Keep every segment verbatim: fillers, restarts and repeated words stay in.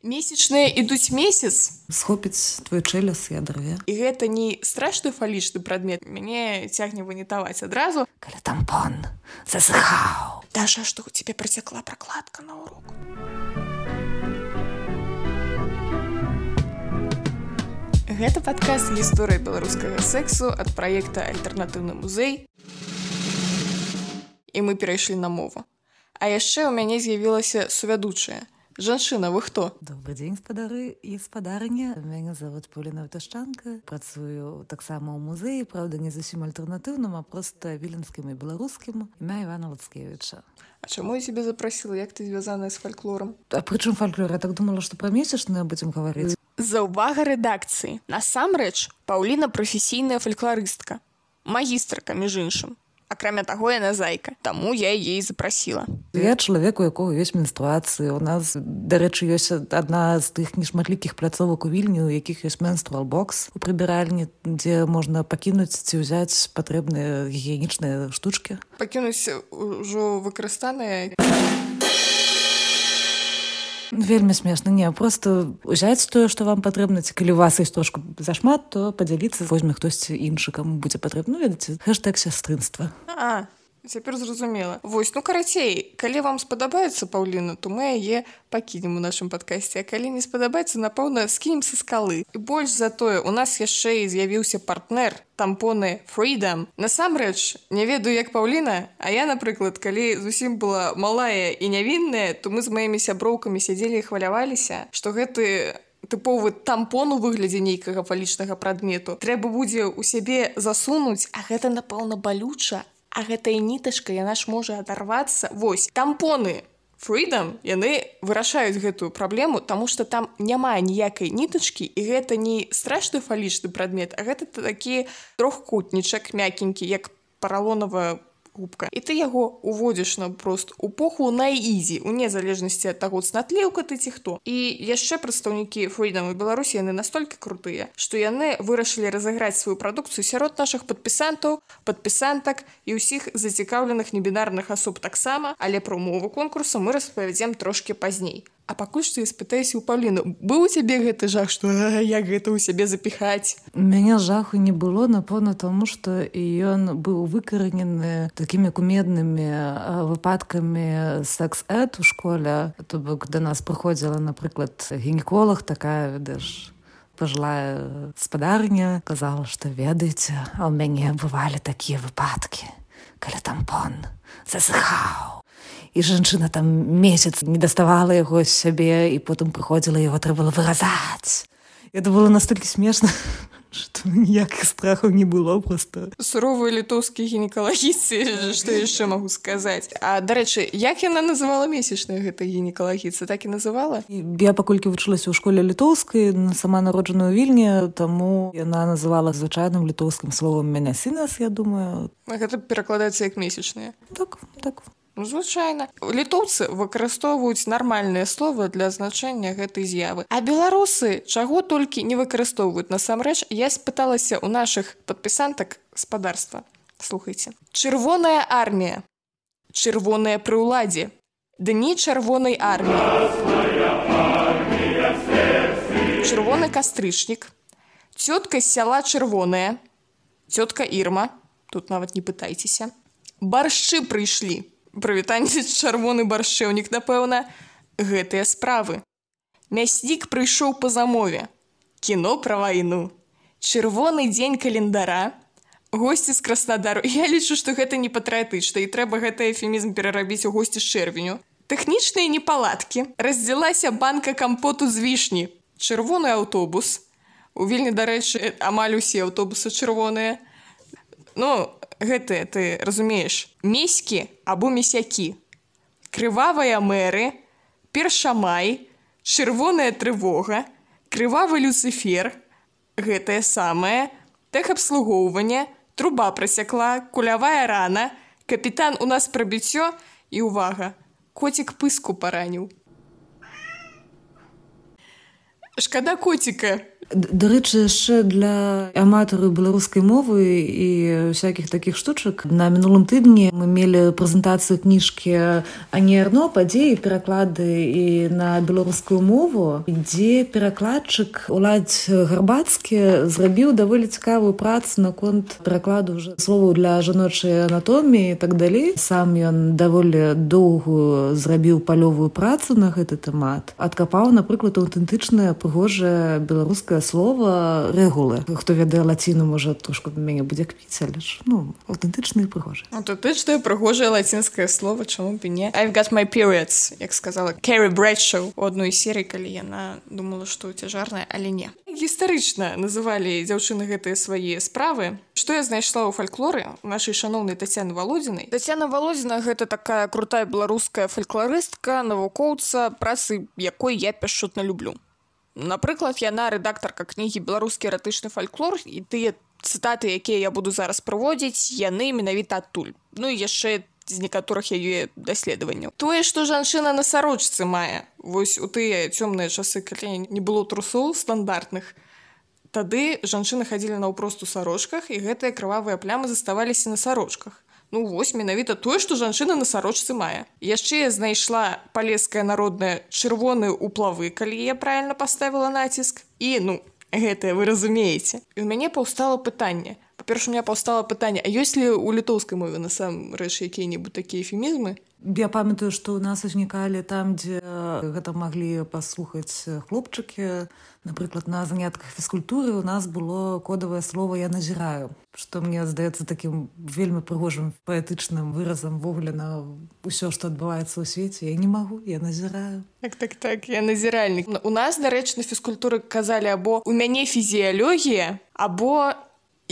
Месячныя ідуць месяц. Схопіць твой чэляс і адарве. І гэта не страшны фалічны прадмет. Мяне цягне вынітаваць адразу. Калі тампон засыхаў. Даша, што у цябе працякла пракладка на урок. Гэта падкаст «Гісторыя беларускага сэксу» ад праекта «Альтэрнатыўны музей». І мы перайшлі на мову. А яшчэ ў мяне з'явілася сувядучая. Жанчына, вы хто? Добрый дзень, спадары і спадарыня. Мяне зовут Поліна Ваташчанка. Працую таксама ў музеі, правда, не зусім альтэрнатыўным, а проста віленскім і беларускім. Імя Івана Лацкевіча. А чаму я цябе запрасіла? Як ты звязаная з фальклорам? А пры чым фальклор? Я так думала, што пра месячныя будзем гаварыць. Заўвага рэдакцыі. Насамрэч, Паўліна прафесійная фальклорыстка. Магістрка, між іншым. Акрамя таго, яна зайка. Таму я яе запрасіла. Я чалавек, у якога ёсць менструацыі. У нас, дарэчы, ёсць адна з тых нешматлікіх пляцовак у Вільні, у якіх ёсць менструал-бокс у прыбіральні, дзе можна пакінуць ці ўзяць патрэбныя гігіенічныя штучкі. Пакінуць ужо выкарыстаныя. Вельмі смешна. Не, просто ўзяць тое, што вам патрэбна. Ці калі у вас ёсць трошку зашмат, то падзяліцца, возьме хтосьці іншы, каму будзе патрэбна. Ну, ведаце, хэштэг сястрынства. А, цяпер зразумела. Вось, ну, карацей, калі вам спадабаецца Паўліна, то мы яе пакінем у нашым падкасці. А калі не спадабаецца, напэўна, скінем са скалы. І больш за тое, у нас яшчэ і з'явіўся партнер, тампоны Freedom. Насамрэч, не ведаю, як Паўліна, а я, напрыклад, калі зусім была малая і нявінная, то мы з маімі сяброўкамі сядзелі і хваляваліся, што гэты тыповы тампон у выглядзе нейкага фалічнага прадмету трэба будзе ў сябе засунуць, а гэта, напэўна, балюча, а гэтая нітачка, яна ж можа адарвацца. Вось, тампоны Freedom, яны вырашаюць гэтую праблему, таму што там няма ніякай нітачкі, і гэта не страшны фалічны прадмет, а гэта такі трохкутнічак мякенькі, як паралонавая губка. І ты яго уводзіш на прост у поху на ізі, у незалежнасці ад таго, цнатліўка ты ці хто. І яшчэ прадстаўнікі Freedom у Беларусі, яны настолькі крутыя, што яны вырашылі разыграць сваю прадукцыю сярод нашых падпісантаў, падпісантак і ўсіх зацікаўленых небінарных асоб таксама, але пра умовы конкурсу мы распавядзем трошкі пазней. А пакуль што я спытаюся ў Паўліну, быў у цябе гэты жах, што а, як гэта ў сябе запіхаць? У мяне жаху не было, напэўна, таму што ён быў выкаранены такімі кумеднымі выпадкамі секс-эд у школе. То бок да нас прыходзіла, напрыклад, гінеколог, такая, ведаеш, пажылая спадарня, казала, што ведаеце, а ў мяне бывалі такія выпадкі, калі тампон засыхаў. І жанчына там месяц не даставала яго з сябе, і потым прыходзіла, яго трэба было выразаць. Это было настолькі смешна, што ніякіх страхаў не было проста. Суровыя літоўскія гінекалагіцы, што яшчэ магу сказаць. А, дарэчы, як яна называла месячная гэта гінекалагіца? Так і называла? Я паколькі вучылася ў школе літоўскай, сама народжаная ў Вільні, таму яна называла звычайным літоўскім словам «мянясінас», я думаю. Гэта перакладаецца як месячная? Так, так. Ну, звычайна. Літоўцы выкарыстоўваюць нармальныя словы для азначэння гэтай з'явы. А беларусы чаго толькі не выкарыстоўваюць. Насамрэч, я спыталася ў нашых падпісантак спадарства. Слухайце. Чырвоная армія. Чырвоная пры ўладзе. Дні чырвонай арміі. Чырвоны кастрычнік. Цётка з сяла чырвоная. Цётка Ірма. Тут нават не пытайцеся. Баршчы прыйшлі. Прывітанне чырвоны баршчэўнік, напэўна, гэтыя справы. Мяснік прыйшоў па замове. Кіно пра вайну. Чырвоны дзень календара. Госці з Краснодару. Я лічу, што гэта не патрыятычна, і трэба гэты эфемізм перарабіць у госці з чэрвеню. Тэхнічныя непаладкі. Раздзялася банка кампоту з вішні. Чырвоны аўтобус. У Вільні, дарэчы, амаль усе аўтобусы чырвоныя. Ну, гэтыя, ты разумееш, меські або месякі. Крывавыя мэры, першамай, чырвоная трывога, крывавы люцыфер, гэтае самае, тэхабслугоўванне, труба прасякла, кулявая рана, капітан у нас прабіццё і, увага, коцік пыску параніў. Шкада коціка. Дарэчы, яшчэ для аматараў беларускай мовы і всякіх такіх штучак. На мінулым тыдні мы мелі прэзентацыю кніжкі Ані Арно «Падзеі, пераклады» і на беларускую мову, дзе перакладчык Уладзь Гарбацкі зрабіў даволі цікавую працу наконт перакладу ўжо словаў для жаночай анатоміі і так далей. Сам ён даволі доўгую зрабіў палёвую працу на гэты тэмат. Адкапаў, напрыклад, аўтэнтычнае прыгожае беларускае слова рэгулы. Хто ведае лаціну, можа, трошку мяне будзе кпіць, але ж, ну, аўтэнтычнае і прыгожае. Аўтэнтычнае прыгожае лацінскае слова, чаму б і не? I've got my periods, як сказала Кэрі Брэдшоу у адной серыі, калі яна думала, што цяжарная, але не. Гістарычна называлі дзяўчыны гэтыя свае справы. Што я знайшла ў фальклоры нашай шаноўнай Тацяны Валодзінай? Тацяна Валодзіна — гэта такая крутая беларуская фальклорыстка, навукоўца, працы якой я пяшчотна люблю. Напрыклад, яна рэдактарка кнігі «Беларускі эратычны фальклор», і тыя цытаты, якія я буду зараз прыводзіць, яны менавіта адтуль. Ну і яшчэ з некаторых яе даследаванняў. Тое, што жанчына на сарочцы мае, вось у тыя цёмныя часы, калі не было трусоў стандартных, тады жанчыны хадзілі наўпрост у сарочках, і гэтыя крывавыя плямы заставаліся на сарочках. Ну вось, менавіта тое, што жанчына на сарочцы мае. Яшчэ я знайшла палескае народнае чырвоныя ўплавы, калі я правільна паставіла націск. І, ну, гэтае вы разумееце. І ў мяне паўстала пытанне. Па-першае, у мяне паўстала пытанне, а ёсць ли ў літоўскай мове насамрэч якія-небудзь такія эфемізмы? Я памятаю, што ў нас узнікалі там, дзе гэта маглі паслухаць хлопчыкі. Напрыклад, на занятках фізкультуры у нас было кодавае слово «я назіраю», што мне здаецца такім вельмі прыгожым паэтычным выразам ввогуле на ўсё, што адбываецца ў свеце. Я не магу, я назіраю. Так, так, так, я назіральнік. У нас, дарэчы, на фізкультуры казалі або «у мяне фізіялогія», або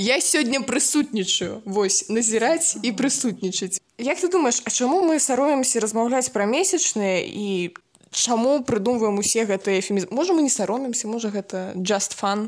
«я сёння прысутнічаю». Вось, назіраць і прысутнічаць. Як ты думаеш, а чаму мы саромемся размаўляць пра месячныя і чаму прыдумваем усе гэтыя эфемізмы? Можа, мы не саромемся, можа, гэта just fun?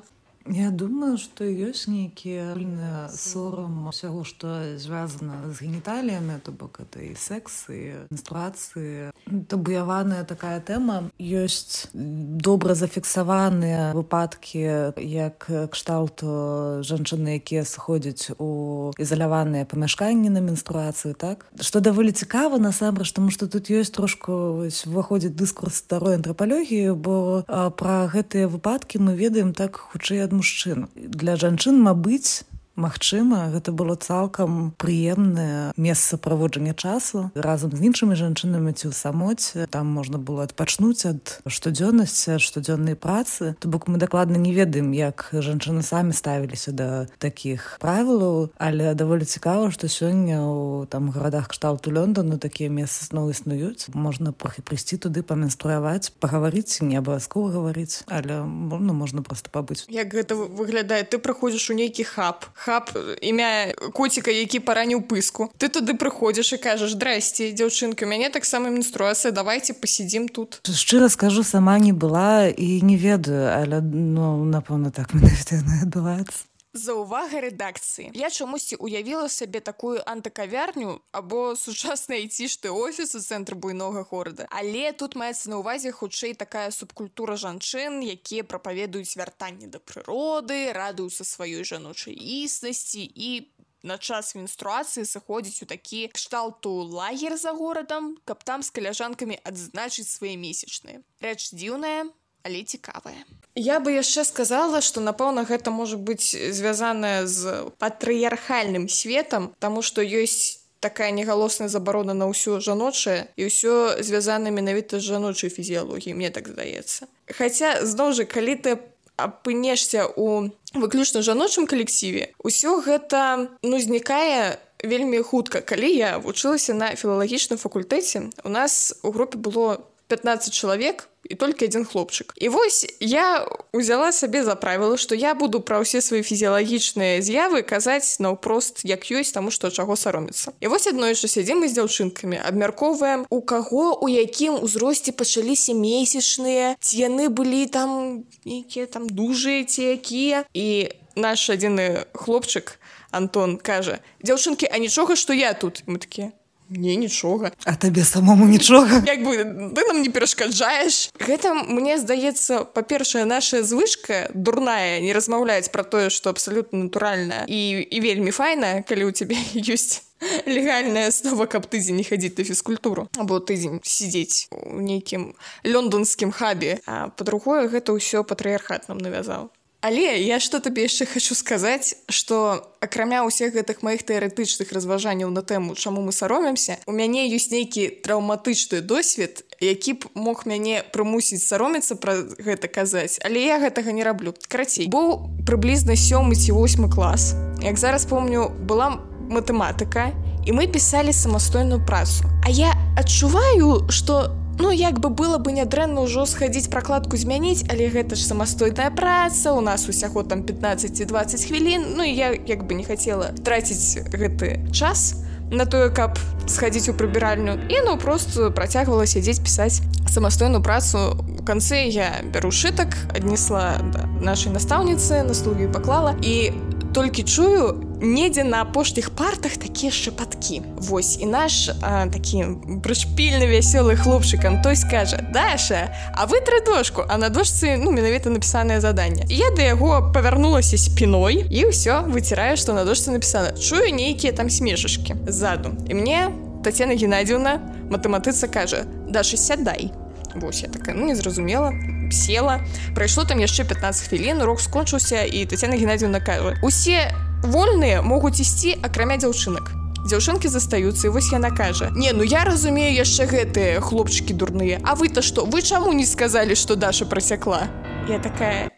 Я думаю, што ёсць нейкі агульны сорам усяго, што звязана з геніталіямі, то бок гэта і секс, і менструацыі. Табуяваная такая тэма. Ёсць добра зафіксаваныя выпадкі, як кшталту жанчыны, якія сыходзяць у ізаляваныя памяшканні на менструацыю, так? Што даволі цікава, насамрэч, таму што тут ёсць трошку уваходзіць дыскурс старой антрапалогіі, бо пра гэтыя выпадкі мы ведаем так хутчэй ад мужчын. Для жанчын, мабыць, магчыма, гэта было цалкам прыемнае месца праводжання часу разам з іншымі жанчынамі ці ў самоце. Там можна было адпачнуць ад штодзённасці, ад штодзённай працы. То бок мы дакладна не ведаем, як жанчыны самі ставіліся да такіх правілаў, але даволі цікава, што сёння ў там гарадах кшталту Лондону такія месцы зноў існуюць. Можна прыйсці туды паменструяваць, пагаварыць, не абавязкова гаварыць, але ну, можна проста пабыць. Як гэта выглядае? Ты прыходзіш у нейкі хаб. Хаб, імя коціка, які параніў пыску. Ты туды прыходзіш і кажаш: «Здрасце, дзяўчынка, у мяне таксама менструацыя, давайте пасядзім тут». Шчыра скажу, сама не была і не ведаю, але, ну, напэўна, так менавіта яно адбываецца. Заўвага рэдакцыі. Я чамусьці уявіла сабе такую антыкавярню або сучасны айцішты офіс у цэнтры буйнога горада. Але тут маецца на ўвазе хутчэй такая субкультура жанчын, якія прапаведуюць вяртанне да прыроды, радуюцца сваёй жаночай існасці і на час менструацыі сыходзіць у такі кшталту лагер за горадам, каб там з каляжанкамі адзначыць свае месячныя. Рэч дзіўная, але цікавая. Я бы яшчэ сказала, што, напэўна, гэта можа быць звязана з патрыярхальным светам, таму што ёсць такая негалосная забарона на ўсё жаночае, і ўсё звязана менавіта з жаночай фізіялогіяй, мне так здаецца. Хаця, зноў жа, калі ты апынешся ў выключна жаночым калектыве, усё гэта, ну, знікае вельмі хутка. Калі я вучылася на філалагічным факультэце, у нас у групе было пятнаццаць чалавек і толькі адзін хлопчык. І вось я ўзяла сабе за правіла, што я буду пра ўсе свае фізіялагічныя з'явы казаць наўпрост як ёсць, таму што чаго саромецца. І вось аднойчы сядзім мы з дзяўчынкамі, абмяркоўваем, у каго, у якім узросце пачаліся месячныя, ці яны былі там нейкія там дужыя, ці якія. І наш адзіны хлопчык, Антон, кажа: «Дзяўчынкі, а нічога, што я тут?» І мы такія: Не, нічога. А табе самому нічога? Як бы ты нам не перашкаджаеш. Гэта, мне здаецца, па-першае, наша звычка дурная не размаўляць пра тое, што абсалютна натуральна і, і вельмі файна, калі ў цябе ёсць легальная аснова, каб тыдзень не хадзіць на фізкультуру, або тыдзень сидзець у нейкім лондонскім хабе. А па-другое, гэта ўсё патрыархат нам навязаў. Але я што табе яшчэ хочу сказаць, што акрамя ўсіх гэтых маіх тэарэтычных разважанняў на тэму, чаму мы саромемся, у мяне ёсць нейкі траўматычны досвед, які б мог мяне прымусіць саромецца пра гэта казаць, але я гэтага не раблю. Карацей, быў прыблізна сёмы ці восьмы клас. Як зараз помню, была матэматыка, і мы пісалі самастойную працу. А я адчуваю, што ну, як бы было бы нядрэнна ўжо схадзіць пракладку змяніць, але гэта ж самастойная праца, у нас усяго там пятнаццаць-дваццаць хвілін, ну і я як бы не хацела траціць гэты час на тое, каб схадзіць у прыбіральню, і ну просто працягвала сядзець пісаць самастойную працу. У канцы я бяру шытак, аднесла да нашай настаўніцы, на студыю паклала, і толькі чую, недзе на апошніх партах такія шапаткі. Вось, і наш а, такі прышпільны вясёлы хлопчык Антось кажа: «Даша, а вытры дошку», а на дошцы, ну, менавіта напісанае заданне. І я да яго павярнулася спіной і ўсё, выціраю, што на дошцы напісана. Чую нейкія там смешачкі ззаду. І мне Тацяна Геннадзіўна, матэматыца, кажа: «Даша, сядай». Вось, я такая, ну, не зразумела, села. Прайшло там яшчэ пятнаццаць хвілін, урок скончыўся, і Тацяна Геннадзіўна кажа: «Усе вольныя могуць ісці, акрамя дзяўчынак. Дзяўчынкі застаюцца». І вось яна кажа: «Не, ну я разумею яшчэ гэтыя хлопчыкі дурныя. А вы-то што? Вы чаму не сказалі, што Даша прасякла?» Я такая: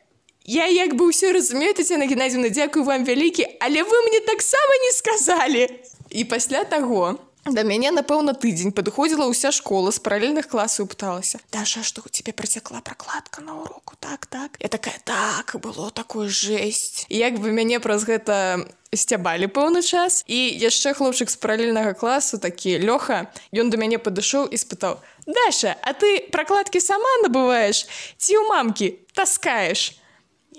«Я як бы ўсё разумею, Тацяна Геннадзіўна, дзякую вам вялікі, але вы мне таксама не сказалі». І пасля таго да мяне, напэўна, тыдзень падыходзіла ўся школа з паралельных класаў і пыталася: «Даша, што у цябе працякла пракладка на уроку? Так, так». Я такая: «Так, было такое жесть». І як бы мяне праз гэта сцябалі пэўны час. І яшчэ хлопчык з паралельнага класу, такі Лёха, ён да мяне падышоў і спытаў: «Даша, а ты пракладкі сама набываеш ці ў мамкі таскаеш?»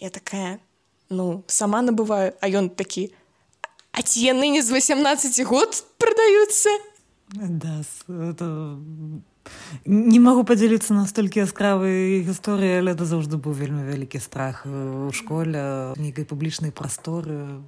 Я такая: «Ну, сама набываю». А ён такі: «А ці яны не з васямнаццаці год прадаюцца?» Да, это... Не магу падзяліцца настолькі яскравай гісторыі, але это заўжды быў вельмі вялікі страх у школе, нейкай публічнай прасторы,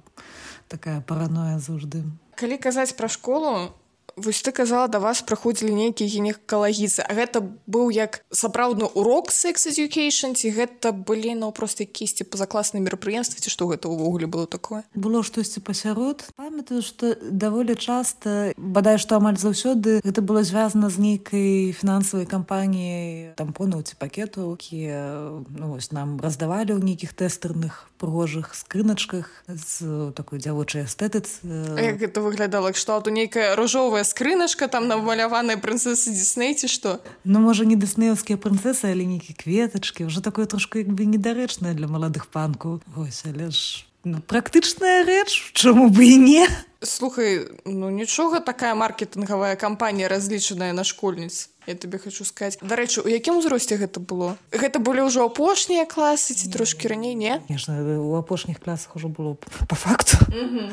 такая параноя заўжды. Калі казаць пра школу, вось ты казала, да вас прыходзілі нейкія гінекалагіцы, а гэта быў як сапраўдны урок sex education, ці гэта былі наўпрост якісь пазакласныя мерапрыемствы, ці што гэта ўвогуле было такое? Было штосьці пасярод. Памятаю, што даволі часта, бадай што амаль заўсёды, гэта было звязана з нейкай фінансавай кампаніяй тампонаў ці пакетаў, якія ну, вось, нам раздавалі ў нейкіх тэстэрных прыгожых скрыначках з такой дзявочай эстэтыцы. А як гэта выглядала? Кшталту нейкая ружовая скрыначка, там намаляваная прынцэса Дисней, ці што? Ну, можа, не дыснеўскія прынцэсы, але нейкія кветачкі. Уже такое трошку як бы недарэчнае для маладых панкаў. Вось, але ж ну, практычная рэч, чаму бы і не? Слухай, ну нічога, такая маркетынгавая кампанія разлічаная на школьніц. Я табе хочу сказаць. Дарэчы, у якім узросце гэта было? Гэта былі ўжо апошнія класы ці трошкі раней, не? Конечно, у апошніх класах ужо было па факту. Mm-hmm.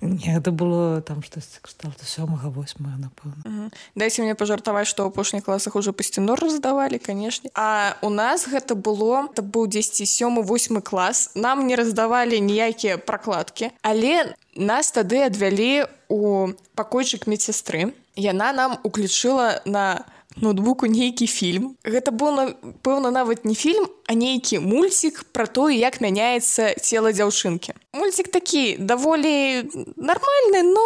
Не, гэта было там штосьці кшталту сёмага, восьмага, напэўна. Mm-hmm. Дайце мне пажартаваць, што ў апошніх класах ужо пасцінор раздавалі, канешне. А у нас гэта было, это быў дзесьці сёмы, восьмы клас. Нам не раздавалі ніякія пракладкі, але нас тады адвялі у пакойчык медсястры. Яна нам уключыла на ноутбуку нейкі фільм. Гэта быў, напэўна, нават не фільм, а нейкі мульцік пра тое, як мяняецца цела дзяўчынкі. Мульцік такі даволі нармальны, но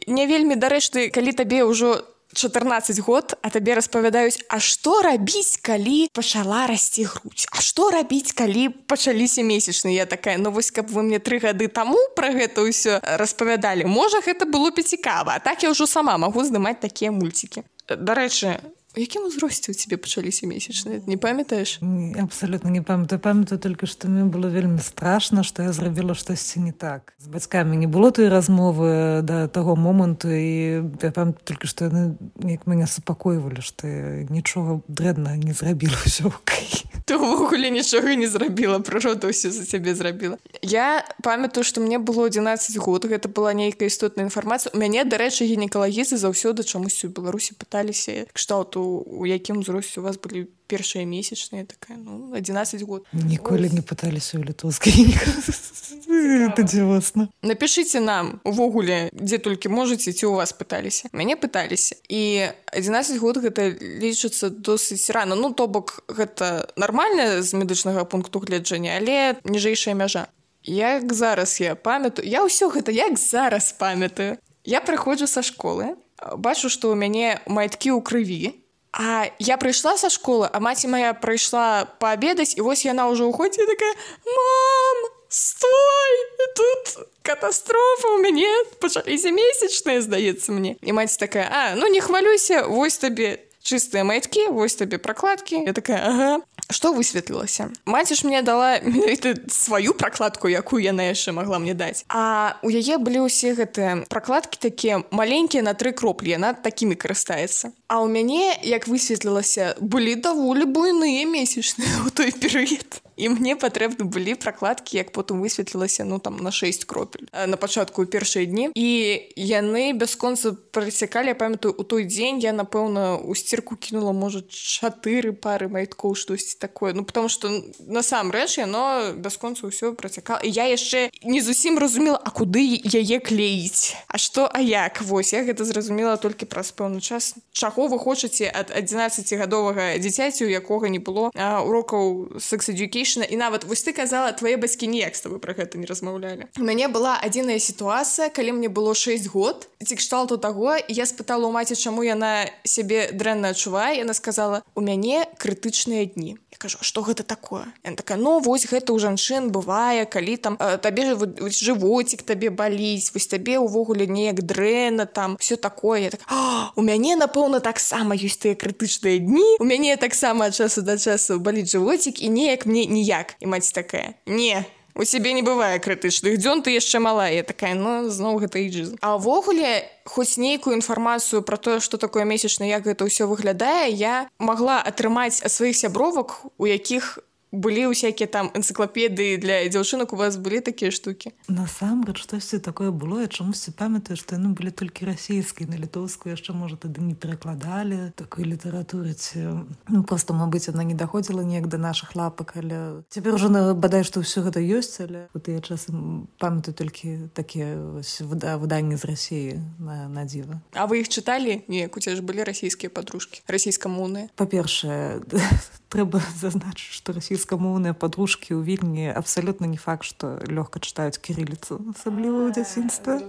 не вельмі дарэчны, калі табе ўжо чатырнаццаць год, а табе распавядаюць: а што рабіць, калі пачала расці грудь? А што рабіць, калі пачаліся месячныя? Я такая: ну вось, каб вы мне тры гады таму пра гэта ўсё распавядалі, можа, гэта было б цікава. А так я ўжо сама магу здымаць такія мульцікі. Дарэчы, у якім узросце ў цябе пачаліся месячныя? Не памятаеш? Абсалютна не памятаю. Памятаю толькі, што мне было вельмі страшна, што я зрабіла штосьці не так. З бацькамі не было той размовы да таго моманту, і я памятаю толькі, што яны як мяне супакойвалі, што я нічога дрэннага не зрабіла, ўсё окей. Ты ўвогуле нічога не зрабіла, прырода ўсё за цябе зрабіла. Я памятаю, што мне было адзінаццаць год, гэта была нейкая істотная інфармацыя. У мяне, дарэчы, гінекалагісты заўсёды чамусьці ў Беларусі пыталіся кшталту, у якім узросце у вас былі першыя месячныя, такая, ну, адзінаццаць год. Ніколі не пыталіся ў літоўскай гінекалагісты. Это дзівосна. Напішыце нам увогуле, дзе толькі можаце, ці ў вас пыталіся. Мяне пыталіся. І адзінаццаць год гэта лічыцца досыць рана. Ну, то бок, гэта нармальна з медычнага пункту гледжання, але ніжэйшая мяжа. Як зараз я памятаю, я ўсё гэта як зараз памятаю. Я прыходжу са школы, бачу, што ў мяне майткі ў крыві, а я прыйшла са школы, а маці моя прыйшла паабедаць, і вось яна ўжо ўходзіць і такая: «Мам, стой! Тут катастрофа, у мяне пачаліся месячныя, здаецца мне». І маці такая: «А, ну не хвалюйся, вось табе чыстыя майткі, вось табе пракладкі». Я такая: «Ага». Што высветлілася? Маці ж мне дала менавіта сваю пракладку, якую яна яшчэ магла мне даць. А у яе былі ўсе гэтыя пракладкі такія маленькія на тры кроплі, яна такімі карыстаецца. А ў мяне, як высветлілася, былі даволі буйныя месячныя ў той перыяд. І мне патрэбны былі пракладкі, як потым высветлілася, ну там на шэсць кропель на пачатку ў першыя дні. І яны бясконца працякалі. Я памятаю, у той дзень я, напэўна, у сцірку кінула, можа, чатыры пары майткоў, штосьці такое. Ну, потому што насамрэч яно бясконца ўсё працякала. І я яшчэ не зусім разумела, а куды яе клеіць? А што, а як? Вось, я гэта зразумела толькі праз пэўны час. Чаго вы хочаце ад адзінаццацігадовага дзіцяці, у якога не было а, урокаў sex education? І нават, вось ты казала, твае бацькі ніяк з табой пра гэта не размаўлялі. У мяне была адзіная сітуацыя, калі мне было шэсць год, ці кшталту таго, і я спытала ў маці, чаму яна сябе дрэнна адчувае. Яна сказала: «У мяне крытычныя дні». Я кажу: «А што гэта такое?» Яна такая: «Ну, вось гэта ў жанчын бывае, калі там э, табе жывоцік табе баліць, вось табе ўвогуле неяк дрэнна, там, все такое». Я так: «А, у мяне, напэўна, таксама ёсць тыя крытычныя дні, у мяне таксама ад часу да часу баліць жывоцік, і неяк мне ніяк». І маці такая: «Не, у сябе не бывае крытычных дзён, ты яшчэ малая». Я такая: «Ну, зноў гэта эйджызм». А ўвогуле, хоць нейкую інфармацыю пра тое, што такое месячна, як гэта ўсё выглядае, я магла атрымаць ад сваіх сябровак, у якіх былі ўсякія там энцыклапедыі для дзяўчынак. У вас былі такія штукі? Насамрэч, штосьці такое было. Я чамусьці памятаю, што яны былі толькі расійскія, на літоўскую яшчэ, можа, тады не перакладалі такой літаратуры. Ці... Ну, проста, мабыць, яна не даходзіла неяк да нашых лапак, але цяпер ужо бадай, што ўсё гэта ёсць, але у тыя часы памятаю толькі такія выданні з Расіі на, на дзіва. А вы іх чыталі? Неяк, у цябе ж былі расійскія падружкі, расійскамоўныя? Па-першае, трэба зазначыць, што расійскамоўныя падружкі ў Вільні абсалютна не факт, што лёгка чытаюць кірыліцу, асабліва ў дзяцінстве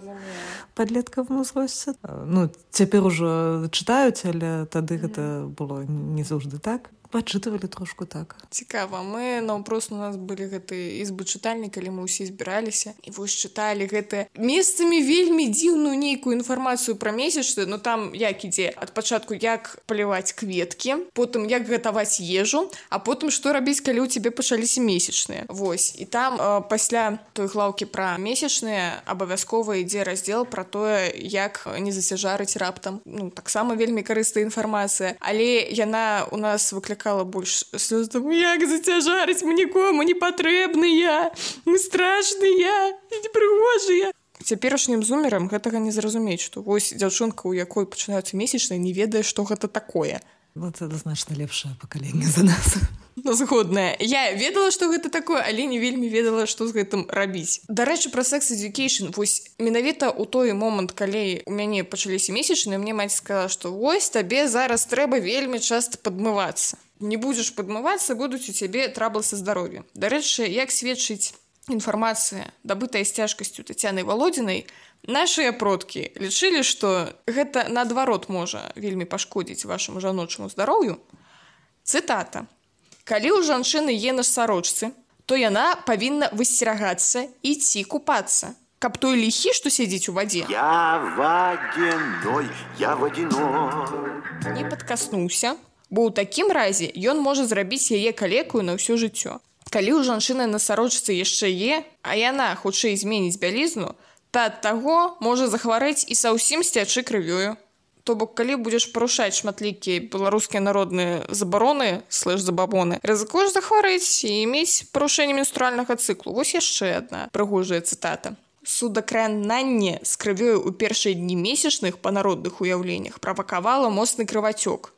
падлеткавым узросце. Ну, цяпер ужо чытаюць, але тады гэта было не заўжды так. Пачытывалі трошку так. Цікава. Мы наўпрост, у нас былі гэтыя ізбы чытальні, калі мы ўсе збіраліся, і вось чыталі гэтыя месцамі вельмі дзіўную нейкую інфармацыю пра месячны. Ну там як ідзе? Ад пачатку, як паліваць кветкі, потым як гатаваць ежу, а потым што рабіць, калі ў цябе пачаліся месячныя. Вось. І там э, пасля той глаўкі пра месячныя абавязкова ідзе раздзел пра тое, як не зацяжарыць раптам. Ну, таксама вельмі карыстая інфармацыя, але яна у нас выклікала больш слёз. Як зацяжарыць, мы нікому не патрэбныя, мы страшныя, непрыгожыя. Цяперашнім зумерам гэтага не зразумець, што вось дзяўчынка, у якой пачынаюцца месячныя, не ведае, што гэта такое. Вот это значна лепшае пакаленне за нас. Ну, згодная. Я ведала, што гэта такое, але не вельмі ведала, што з гэтым рабіць. Дарэчы, пра sex education. Вось менавіта ў той момант, калі у мяне пачаліся месячныя, мне маці сказала, што вось табе зараз трэба вельмі часта падмывацца. Не будзеш падмывацца, будуць у цябе траблы са здароўем. Дарэчы, як сведчыць інфармацыя, дабытая з цяжкасцю Таццянай Валодзінай, нашыя продкі лічылі, што гэта наадварот можа вельмі пашкодзіць вашаму жаночаму здароўю. Цытата. «Калі ў жанчыны е на сарочцы, то яна павінна высцерагацца і ісці купацца, каб той ліхі, што сядзіць у вадзе, я вадзяной, я вадзяной, не падкаснуўся, бо ў такім разе ён можа зрабіць яе калекаю на ўсё жыццё. Калі ў жанчыны на сарочцы яшчэ е, а яна хутчэй зменіць бялізну, то ад таго можа захварэць і саўсім сцячы крывёю. То бок, калі будзеш парушаць шматлікія беларускія народныя забароны, слэш-забабоны, рызыкуеш захварэць і мець парушэнне менструальнага цыклу. Вось яшчэ адна прыгожая цытата. Судакрананне з крывёю ў першыя дні месячных па народных уяўленнях правакавала моцны крывацёк.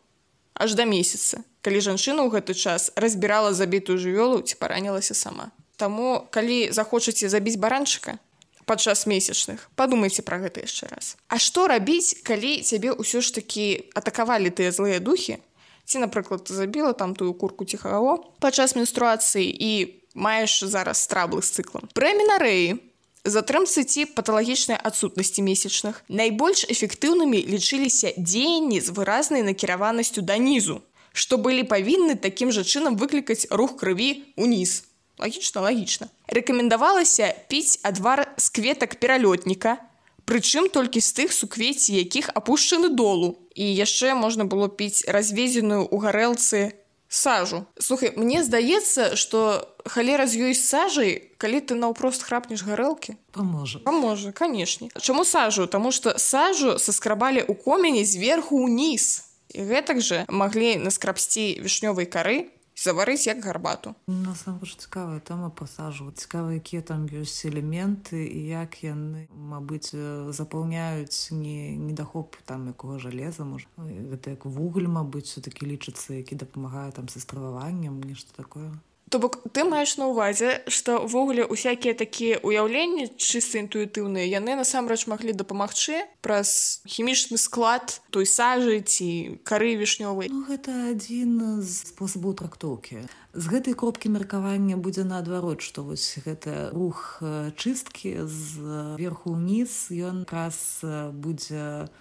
Аж да месяца, калі жанчына ў гэты час разбірала забітую жывёлу ці паранілася сама. Таму, калі захочаце забіць баранчыка падчас месячных, падумайце пра гэта яшчэ раз. А што рабіць, калі цябе ўсё ж такі атакавалі тыя злыя духі? Ці, напрыклад, ты забіла там тую курку ці хагаго падчас менструацыі і маеш зараз траблы з цыклам. Пры аменарэі, затрымцы ці паталагічнай адсутнасці месячных найбольш эфектыўнымі лічыліся дзеянні з выразнай накіраванасцю да нізу, што былі павінны такім жа чынам выклікаць рух крыві ўніз. Лагічна, лагічна. Рэкамендавалася піць адвар з кветак пералётніка, прычым толькі з тых суквецці, якіх апушчаны долу. І яшчэ можна было піць разведзеную ў гарэлцы сажу. Слухай, мне здаецца, што халера з ёй сажай, калі ты наўпрост храпнеш гарэлкі. Паможа. Паможа, канешне. Чаму сажу? Таму што сажу саскрабалі ў комені зверху ўніз. І гэтак жа маглі наскрабсці вішнёвай кары, заварыць як гарбату. Насамрэч цікавая тэма па сажу. Цікава, якія там ёсць элементы і як яны, мабыць, запаўняюць не, недахоп там якога жалеза, можа. Гэта як вугаль, мабыць, все-таки лічыцца, які дапамагае там са страваваннем, нешта такое. То бок ты маеш на ўвазе, што ўвогуле усякія такія ўяўленні чыста інтуітыўныя, яны насамрэч маглі дапамагчы праз хімічны склад той сажы ці кары вішнёвай. Ну, гэта адзін з спосабаў трактоўкі. З гэтай кропкі меркавання будзе наадварот, што вось гэта рух чысткі з верху ўніз, ён якраз будзе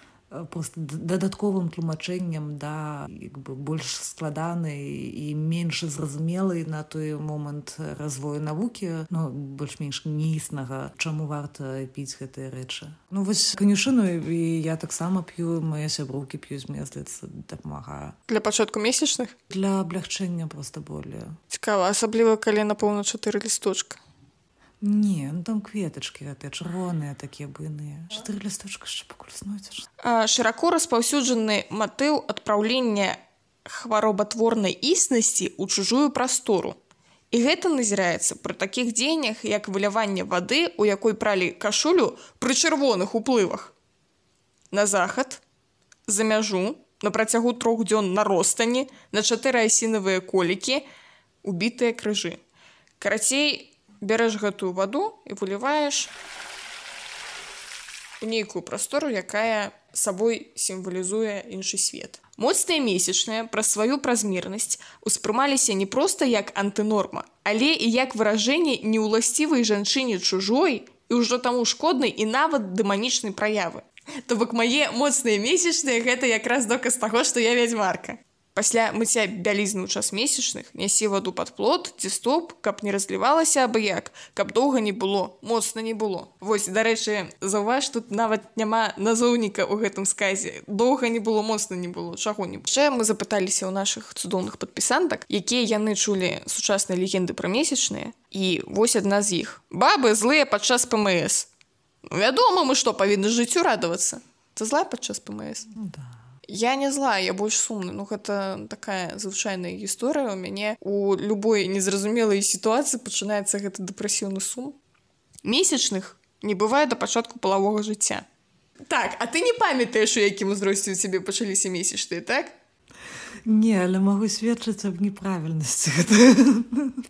просто дадатковым тлумачэннем да як бы больш складанай і менш зразумелай на той момант развою навукі, ну больш-менш неіснага, чаму варта піць гэтыя рэчы. Ну вось канюшыну і я таксама п'ю, мае сяброўкі п'юць, мне здаецца, дапамагае. Для пачатку месячных? Для аблягчэння проста болі. Цікава, асабліва калі напэўна чатыры лісточка. Не, ну там кветачкі, гэтыя чырвоныя такія буйныя. Чатыры лісточка яшчэ пакуль знойдзеш. Шырако распаўсюджаны матыў адпраўлення хваробатворнай існасці ў чужую прастору. І гэта назіраецца пры такіх дзеяннях, як выляванне вады, у якой пралі кашулю пры чырвоных уплывах. На захад, за мяжу, на працягу трох дзён на ростані, на чатыры асінавыя колікі, убітыя крыжы. Карацей, бярэш гэтую ваду і выліваеш у нейкую прастору, якая сабой сімвалізуе іншы свет. Моцныя месячныя праз сваю празмернасць успрымаліся не проста як антынорма, але і як выражэнне неўласцівай жанчыне чужой і ўжо таму шкоднай і нават дэманічнай праявы. То бок мае моцныя месячныя гэта якраз доказ таго, што я вядзьмарка. Пасля мыцця бялізны ў час месячных нясі ваду пад плот ці стоп, каб не разлівалася абы-як, каб доўга не было, моцна не было. Вось, дарэчы, заўваж, тут нават няма назоўніка ў гэтым сказе. Доўга не было, моцна не было, чаго не было. Яшчэ мы запыталіся ў нашых цудоўных падпісантак, якія яны чулі сучасныя легенды пра месячныя. І вось адна з іх. Бабы злыя падчас ПМС. Ну, вядома, мы што, павінны жыццю радавацца? Ты злая падчас ПМС? Ну, да. Я не злая, я больш сумна. Ну, гэта такая звычайная гісторыя. У мяне у любой незразумелай сітуацыі пачынаецца гэты дэпрэсіўны сум. Месячных не бывае да пачатку палавога жыцця. Так, а ты не памятаеш, у якім узросце ў цябе пачаліся месячныя, так? Не, але магу сведчыць аб неправільнасці гэтага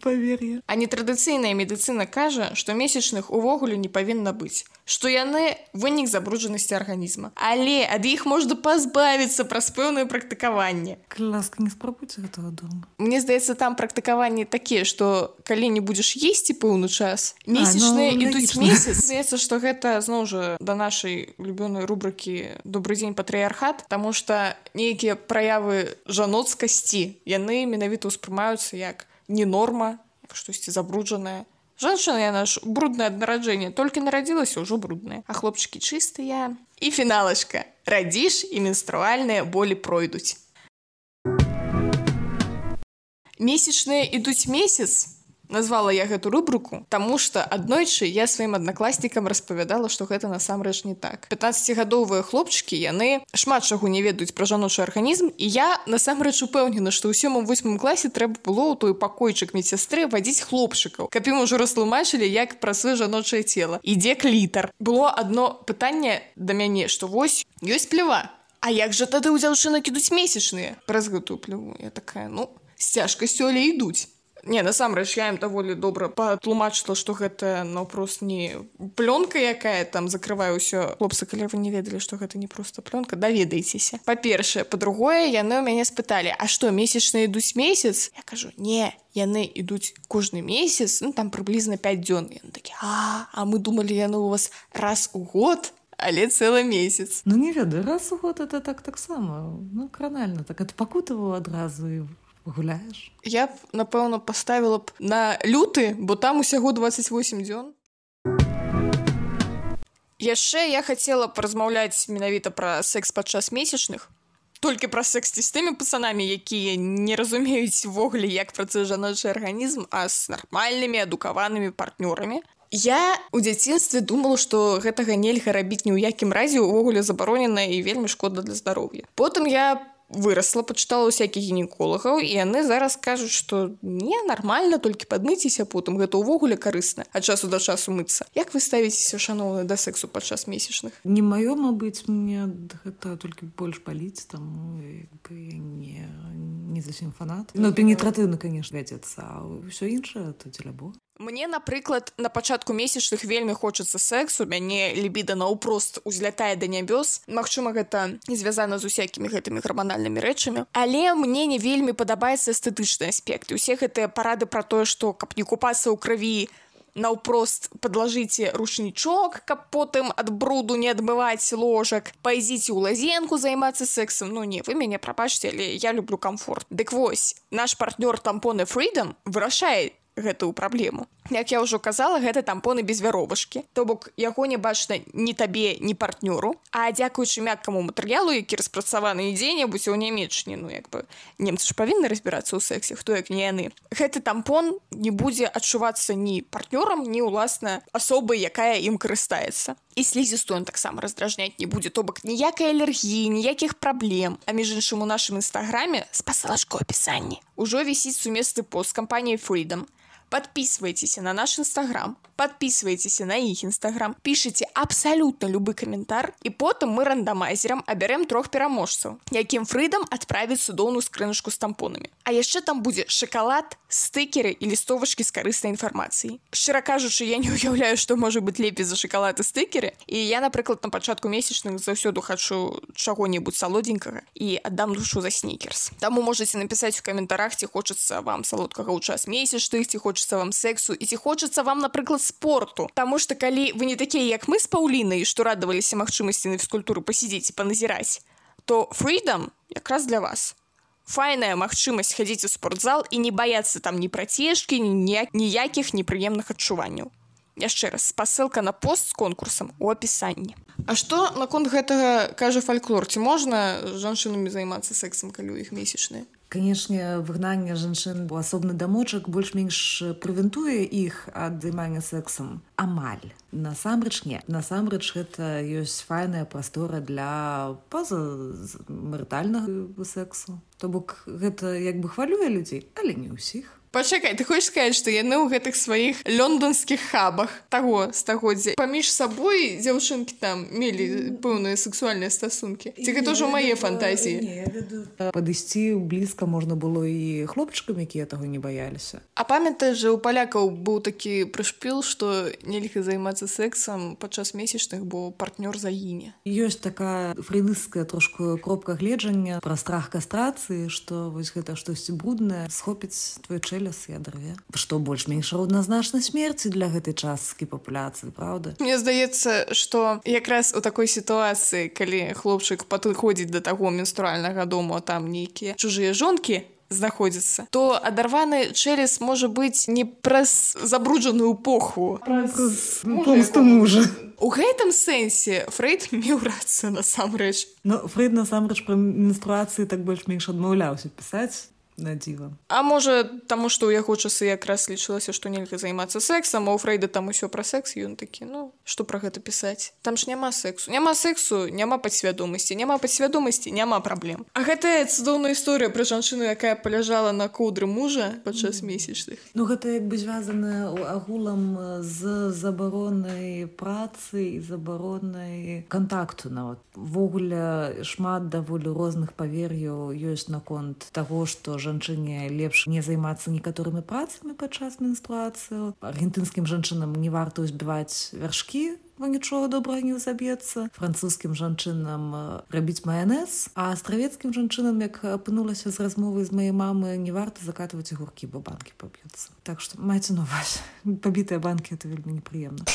павер'я. А нетрадыцыйная медыцына кажа, што месячных увогуле не павінна быць, што яны вынік забруджанасці арганізма. Але ад іх можна пазбавіцца праз пэўнае практыкаванне. Калі ласка, не спрабуйце гэтага дома. Мне здаецца, там практыкаванні такія, што калі не будзеш есці пэўны час, месячныя а, ну, ідуць месяц. Здаецца, што гэта, зноў жа, да нашай любёнай рубрыкі «Добрый дзень, патрыярхат», таму што нейкія праявы жаноцкасці, яны менавіта ўспрымаюцца як не норма, як штосьці забруджанае. Жанчына, яна ж бруднае ад нараджэння, толькі нарадзілася, ўжо брудная. А хлопчыкі чыстыя. І фіналачка. Радзіш, і менструальныя болі пройдуць. Месячныя ідуць месяц, Назвала я гэту рубрыку, таму што аднойчы я сваім аднакласнікам распавядала, што гэта насамрэч не так. пятнаццацігадовыя хлопчыкі, яны шмат чаго не ведаюць пра жаночы арганізм, і я насамрэч упэўнена, што ў сёмым-восьмым класе трэба было ў той пакойчык медсястры вадзіць хлопчыкаў, каб ім ужо растлумачылі, як працуе жаночае цела. Ідзе клітар. Было адно пытанне да мяне, што вось ёсць плева. А як жа тады ў дзяўчынак ідуць месячныя? Праз гэтую плеву. Я такая, ну, з цяжкасцю, але ідуць. Не, насамрэч, я ім даволі добра патлумачыла, што гэта наўпрост не плёнка, якая там закрывае ўсё. Хлопцы, калі вы не ведалі, што гэта не проста плёнка, даведайцеся. Па-першае, па-другое, яны ў мяне спыталі, а што, месячныя ідуць месяц? Я кажу, не, яны ідуць кожны месяц, ну там прыблізна пяць дзён. Яны такі, а, а мы думалі, яны ў вас раз у год, але цэлы месяц. Ну не ведаю, раз у год это так таксама, ну кранальна, так адпакутаваў адразу і гуляеш. Я б, напэўна, паставіла б на люты, бо там усяго дваццаць восем дзён. Яшчэ я хацела паразмаўляць менавіта пра секс падчас месячных. Толькі пра секс з тымі пацанамі, якія не разумеюць увогуле, як працуе жаночы арганізм, а з нармальнымі, адукаванымі партнёрамі. Я ў дзяцінстве думала, што гэтага нельга рабіць ні ў якім разе, увогуле забаронена і вельмі шкодна для здароўя. Потым я вырасла, пачытала ўсякіх гінеколагаў, і яны зараз кажуць, што не, нармальна, толькі падмыцеся, потым гэта ўвогуле карысна, ад часу да часу мыцца. Як вы ставіцеся, шаноўныя, да сексу падчас месячных? Не маё, мабыць, мне гэта толькі больш паліць, таму я не, не зусім фанат. Ну, пенетратыўна, конечно, вядзецца, а ўсё іншае, то дзеля Бога. Мне, напрыклад, на пачатку месячных вельмі хочацца сексу, мяне лібіда наўпрост узлятае да нябёс. Магчыма, гэта звязана з усякімі гэтымі гарманальнымі рэчамі. Але мне не вельмі падабаецца эстэтычны аспект. І ўсе гэтыя парады пра тое, што каб не купацца ў крыві, наўпрост падлажыце ручнічок, каб потым ад бруду не адмываць ложак, пайдзіце ў лазенку займацца сексам. Ну не, вы мяне прабачце, але я люблю камфорт. Дык вось, наш партнёр тампоны Freedom вырашае гэтую праблему. Як я ўжо казала, гэта тампоны без вяровачкі. То бок, яго не бачна ні табе, ні партнёру, а дзякуючы мяккаму матэрыялу, які распрацаваны дзе-небудзь у Нямеччыне, ну як бы, немцы ж павінны разбірацца ў сексе, хто як не яны. Гэты тампон не будзе адчувацца ні партнёрам, ні, уласна, асобай, якая ім карыстаецца. І слізістую ён таксама раздражняць не будзе, то бок ніякай алергіі, ніякіх праблем. А між іншым у нашым інстаграме, спасылачка ў апісанні, ужо вісіць сумесны пост кампаніі Freedom. Подписывайтесь на наш инстаграм, подписывайтесь на их инстаграм, пишите абсолютно любой комментар, и потом мы рандомайзером оберем трех пераможцаў, яким Freedom отправит судоўную скрыночку с тампонами. А яшчэ там будет шоколад, стикеры и листовочки с корыстной информацией. Шчыра кажучы, я не уяўляю, что может быть лепей за шоколад и стикеры, и я, напрыклад, на пачатку месячных заўсёды хочу чаго-небудзь салодзенькага и отдам душу за сникерс. Таму можете написать в комментарах, ці хочется вам салодкага ў час месячных, ці хочется вам сексу, і ці хочется вам, напрыклад, спорту. Таму што калі вы не такія, як мы з Паўлінай, што радаваліся магчымасці на фізкультуру пасядзець і паназіраць, то Freedom якраз для вас. Файная магчымасць хадзіць у спортзал і не баяцца там ні працежкі, ні ніякіх непрыемных адчуванняў. Яшчэ раз, спасылка на пост з конкурсам у апісанні. А што наконт гэтага кажа фальклор? Ці можна жанчынамі займацца сексам, калі ў іх месячныя? Канешне, выгнанне жанчын у асобны дамочак больш-менш прэвентуе іх ад займання сексам. Амаль. Насамрэч не. Насамрэч гэта ёсць файная прастора для пазамарытальнага сексу. То бок гэта як бы хвалюе людзей, але не ўсіх. Пачакай, ты хочаш сказаць, што яны ў гэтых сваіх лёндонскіх хабах таго стагоддзя паміж сабой дзяўчынкі там мелі пэўныя сексуальныя стасункі? Ці гэта ўжо мае фантазіі? Падысці блізка можна было і хлопчыкам, якія таго не баяліся. А памятаеш жа, у палякаў быў такі прышпіл, што нельга займацца сексам падчас месячных, бо партнёр загіне. Ёсць такая фрейдысцкая трошку кропка гледжання пра страх кастрацыі, што вось гэта штосьці бруднае схопіць твой чэлюст і адрыве. Што больш-менш роўназначна смерці для гэтай часткі папуляцыі, правда? Мне здаецца, што якраз у такой сітуацыі, калі хлопчык падыходзіць да таго менструальнага дому, а там нейкія чужыя жонкі знаходзіцца, то адарваны чэлюст можа быць не праз забруджаную похву, праз помсту мужа. У гэтым сэнсе Фрейд меў рацыю насамрэч. Ну, Фрейд насамрэч пра менструацыі так больш-менш адмаўляўся пісаць. на дзіва. А можа, таму што ў яго часы якраз лічылася, што нельга займацца сексам, а ў Фрэйда там усё пра секс, і ён такі, ну, што пра гэта пісаць? Там ж няма сексу. Няма сексу, няма падсвядомасці, няма падсвядомасці, няма праблем. А гэтая цудоўная історыя пра жанчыну, якая паляжала на коўдры мужа падчас месячных. Ну, гэта як бы звязана агулам з забаронай працы і забаронай кантакту нават. Ввогуле шмат даволі розных павер'яў ёсць наконт таго, што жанчыне лепш не займацца некаторымі працамі падчас менструацыі. Аргентынскім жанчынам не варта ўзбіваць вяршкі, бо нічога добрага не заб'ецца. Французскім жанчынам рабіць маянэз, а астравецкім жанчынам, як апынулася з размовы з маёй мамы, не варта закатваць агуркі, бо банкі паб'юцца. Так што майце на ўвазе. Пабітыя банкі — это вельмі непрыемна.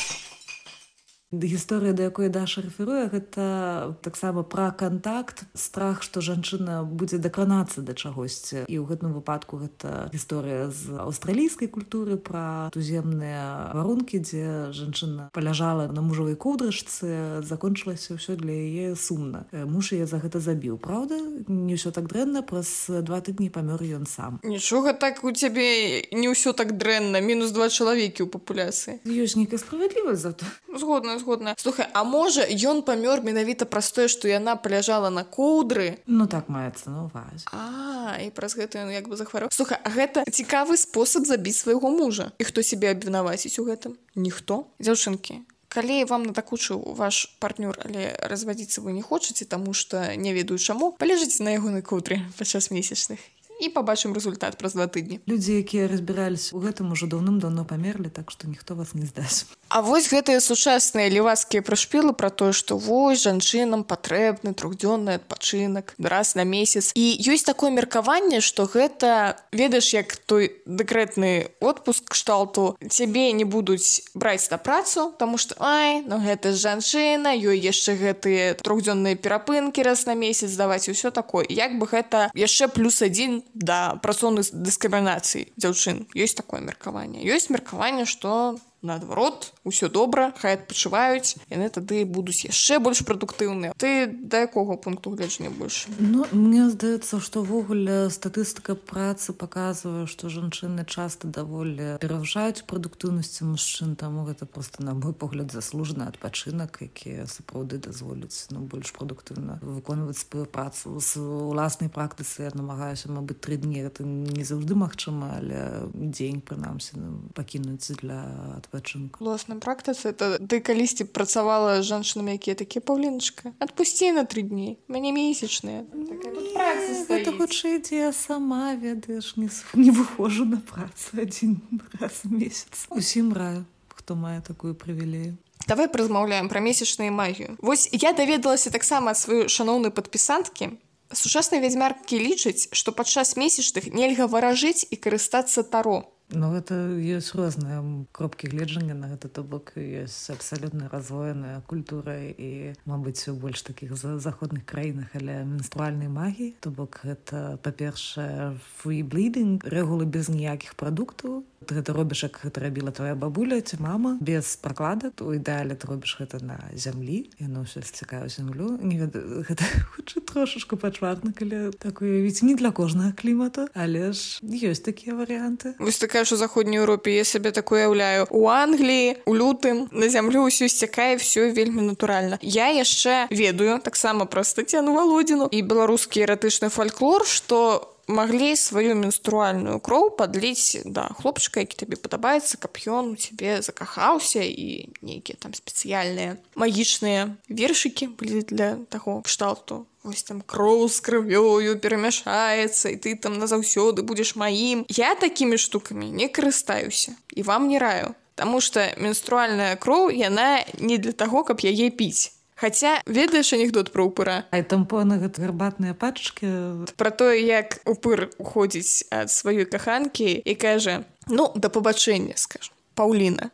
Гісторыя, да якой Даша рэферуе, гэта таксама пра кантакт, страх, што жанчына будзе дакранацца да чагосьці. І ў гэтым выпадку гэта гісторыя з аўстралійскай культуры пра туземныя варункі, дзе жанчына паляжала на мужавай коўдрачцы, закончылася ўсё для яе сумна. Муж яе за гэта забіў. Праўда? Не ўсё так дрэнна, праз два тыдні памёр ён сам. Нічога так у цябе не ўсё так дрэнна, мінус два чалавекі ў папуляцыі. Ёсць нейкая справядлівасць за то. Згодна, згодна. Слухай, а можа, ён памёр менавіта праз тое, што яна паляжала на коўдры? Ну так маецца на ўвазе. А, і праз гэта ён як бы захварэў. Слухай, а гэта цікавы спосаб забіць свайго мужа. І хто сябе абвінаваціць у гэтым? Ніхто. Дзяўчынкі, калі вам надакучыў ваш партнёр, але развадзіцца вы не хочаце, таму што не ведаю чаму, паляжыце на ягонай коўдры падчас месячных. І пабачым рэзультат праз два тыдні. Людзі, якія разбіраліся ў гэтым, ужо даўным-даўно памерлі, так што ніхто вас не здасць. А вось гэтыя сучасныя левацкія прышпілы пра тое, што вось жанчынам патрэбны трохдзённы адпачынак раз на месяц. І ёсць такое меркаванне, што гэта, ведаеш, як той дэкрэтны отпуск кшталту, цябе не будуць браць на працу, таму што ай, ну гэта ж жанчына, ёй яшчэ гэтыя трохдзённыя перапынкі раз на месяц даваць, усё такое. Як бы гэта яшчэ плюс адзін да працоўнай дыскрымінацыі дзяўчын. Ёсць такое меркаванне. Ёсць меркаванне, што наадварот, усё добра, хай адпачываюць, яны тады будуць яшчэ больш прадуктыўныя. Ты да якога пункту гледжання больш? Ну, мне здаецца, што ўвогуле статыстыка працы паказвае, што жанчыны часта даволі перавышаюць прадуктыўнасці мужчын, таму гэта проста, на мой погляд, заслужаны адпачынак, які сапраўды дазволіць, ну, больш прадуктыўна выконваць сваю працу. З уласнай практыцы я намагаюся, мабыць, тры дні, гэта не заўжды магчыма, але дзень, прынамсі, ну, пакінуць для адпачынку. Уласна практыцы, это ты калісьці працавала з жанчынамі, якія такія: Паўліначка, адпусці на тры дні, мяне месячныя. Такая тут праца стаіць. Гэта хутчэй, дзе я сама, ведаеш, не, не выхожу на працу адзін раз у месяц. Усім раю, хто мае такую прывілею. Давай паразмаўляем пра месячную магію. Вось я даведалася таксама ад сваёй шаноўнай падпісанткі. Сучасныя вядзьмаркі лічаць, што падчас месячных нельга варажыць і карыстацца таро. Ну, гэта ёсць розныя кропкі гледжання на гэта, то бок ёсць абсалютна развоеная культура і, мабыць, у больш такіх заходных краінах, але менструальнай магіі, то бок гэта, па-першае, free bleeding, рэгулы без ніякіх прадуктаў. Ты гэта робіш, як гэта рабіла твоя бабуля ці мама, без пракладак. У ідэале ты робіш гэта на зямлі, яно ўсё сцікае ў зямлю. Не ведаю, гэта хутчэй трошашку пачварна, калі так уявіць, не для кожнага клімату, але ж ёсць такія варыянты. Вось такая, що в Заходній Європі, я себе таке уявляю. У Англії, у лютым, на зямлю ўсё сцякае, все вельмі натуральна. Я яшчэ ведаю, так само про Тетяну Володіну і беларускі эратычны фальклор, што маглі сваю менструальную кроў падліць да хлопчыка, які табе падабаецца, каб ён у цябе закахаўся, і нейкія там спецыяльныя магічныя вершыкі былі для таго кшталту. Вось там кроў з крывёю перамяшаецца, і ты там назаўсёды будзеш маім. Я такімі штукамі не карыстаюся, і вам не раю. Таму што менструальная кроў, яна не для таго, каб яе піць. Хаця, ведаеш анекдот пра упыра? А тампоны, гэта гарбатныя пачкі. Пра тое, як упыр уходзіць ад сваёй каханкі і кажа: ну, да пабачэння, скажам, Паўліна,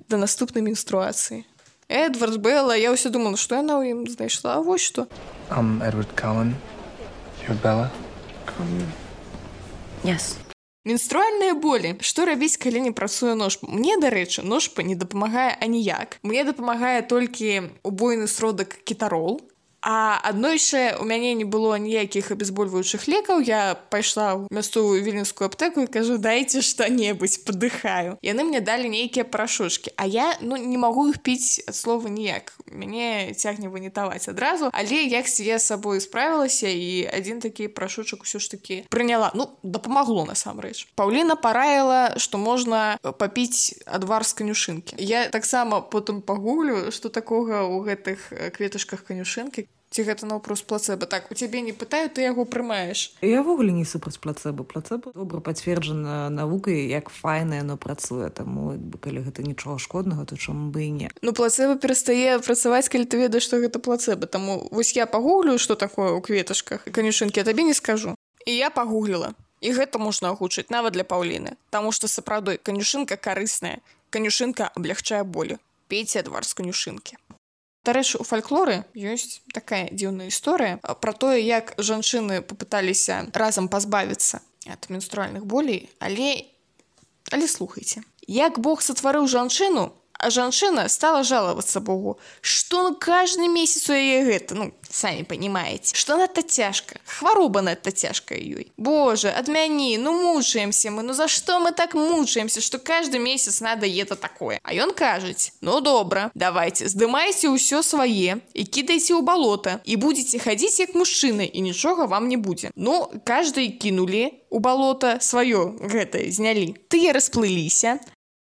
да наступнай менструацыі. Эдвард Белла, я ўсё думала, што яна ў ім знайшла, а вось што. I'm Edward Cullen. You're Bella? Um, yes. Менструальныя болі. Што рабіць, калі не працуе ножпа? Мне, дарэчы, ножпа не дапамагае аніяк. Мне дапамагае толькі убойны сродак кетарол. А аднойчы у мяне не было ніякіх абезбольваючых лекаў, я пайшла ў мясцовую віленскую аптэку і кажу, дайце што-небудзь, падыхаю. Яны мне далі нейкія парашочкі, а я ну не магу іх піць ад слова ніяк. Мяне цягне ванітаваць адразу, але як я з сабой справілася і адзін такі парашочак усё ж такі прыняла. Ну, дапамагло насамрэч. Паўліна параіла, што можна папіць адвар з канюшынкі. Я таксама потым пагуглю, што такога ў гэтых кветачках канюшынкі. Ці гэта наўпрост плацэба? Так, у цябе не пытаю, ты яго прымаеш. Я ўвогуле не супраць плацэба. Плацэба добра пацверджана навукай, як файна яно працуе. Таму, калі гэта нічога шкоднага, то чаму бы і не. Ну, плацэба перастае працаваць, калі ты ведаеш, што гэта плацэба. Таму вось я пагуглю, што такое ў кветачках і канюшынкі, я табе не скажу. І я пагугліла. І гэта можна агучыць нават для Паўліны. Таму што сапраўды канюшынка карысная. Канюшынка аблягчае болі. Пейце адвар з канюшынкі. Дарэчы, у фальклоры ёсць такая дзіўная гісторыя пра тое, як жанчыны папыталіся разам пазбавіцца ад менструальных болей, але але слухайце. Як Бог сатварыў жанчыну, а жанчына стала жалавацца Богу, што ну каждый месяц у яе гэта, ну, самі панімаеце, што надта цяжка, хвароба надта цяжкая ёй. Боже, адмяні, ну мучаемся мы, ну за што мы так мучаемся, што каждый месяц надо это такое. А ён кажуць, ну добра, давайте, здымайце ўсё свае і кідайце ў балота, і будзеце хадзіць як мужчыны, і нічога вам не будзе. Ну, каждый кінулі у балота сваё гэтае, знялі. Тыя расплыліся.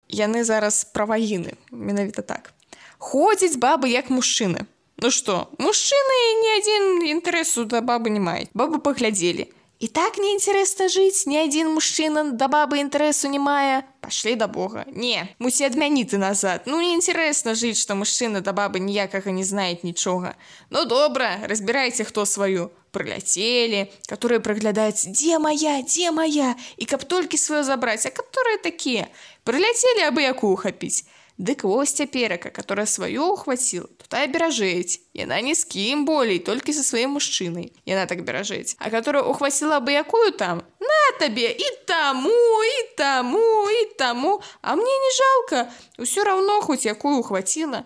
Яны зараз пра вагіны, менавіта так. Ходзяць бабы як мужчыны. Ну што, мужчыны ні адзін інтарэсу да бабы не маюць. Бабы паглядзелі. І так неінтарэсна жыць, ні адзін мужчына да бабы інтарэсу не мае. Пашлі да Бога. Не, мусі адмяніць назад. Ну, неінтарэсна жыць, што мужчына да бабы ніякага не знае нічога. Ну, добра, разбірайце хто сваю. Прыляцелі, которые прыглядаюць, дзе моя, дзе моя, і каб толькі сваё забраць, а которые такія. Прыляцелі, абы якую хапіць. Дык вось цяперака, которая сваё ухваціла, то тая беражэць. Яна ні з кім болей, толькі са сваім мужчынай. Яна так беражэць. А которая ухваціла абы якую там, на табе і таму, і таму, і таму. А мне не жалка, усё раўно хоць якую ухваціла.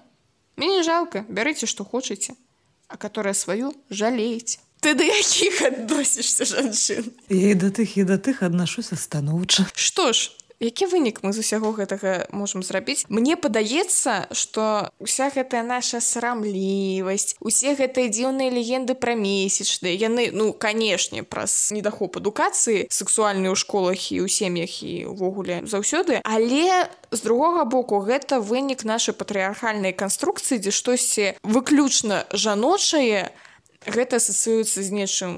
Мне не жалка, бярыце што хочаце. А которая сваю жалееце. Ты да якіх адносішся жанчын? Я і да тых, і да тых аднашуся станоўча. Што ж, які вынік мы з усяго гэтага можам зрабіць? Мне падаецца, што уся гэтая наша сарамлівасць, усе гэтыя дзіўныя легенды пра месячныя, яны, ну, канешне, праз недахоп адукацыі сексуальнай у школах і ў сем'ях і ўвогуле заўсёды, але з другога боку, гэта вынік нашай патрыархальнай канструкцыі, дзе штосьці выключна жаночае, гэта асацыюецца з нечым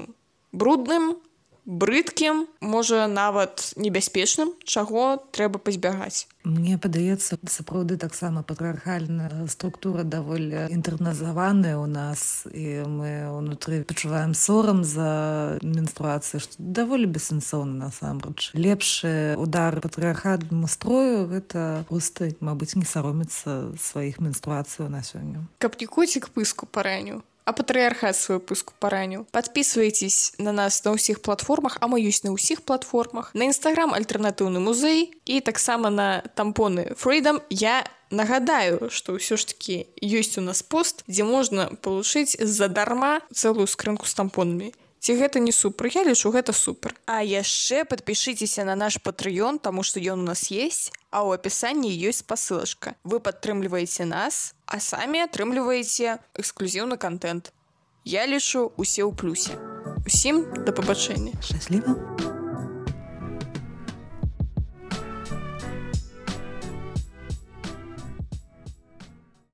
брудным, брыдкім, можа, нават небяспечным, чаго трэба пазбягаць. Мне падаецца, сапраўды таксама патрыархальная структура даволі інтэрназаваная ў нас, і мы ўнутры пачуваем сорам за менструацыю, што даволі бессэнсоўна насамрэч. Лепшы удар патрыархальнаму строю — гэта проста, мабыць, не саромецца сваіх менструацыяў на сёння. Каб не коцік пыску параніў, а патрыархат сваю пыску параніў. Падпісвайцесь на нас на ўсіх платформах, а мы ёсць на ўсіх платформах. На Інстаграм альтэрнатыўны музей і таксама на тампоны Freedom. Я нагадаю, што ўсё ж такі ёсць у нас пост, дзе можна палучыць задарма цэлую скрынку з тампонамі. Ці гэта не супер? Я лічу, гэта супер. А яшчэ падпішыцеся на наш Patreon, таму што ён у нас есть, а ў апісанні ёсць спасылачка. Вы падтрымліваеце нас, а самі атрымліваеце эксклюзіўны контент. Я лічу, усе ў плюсе. Усім да пабачэння. Шчасліва.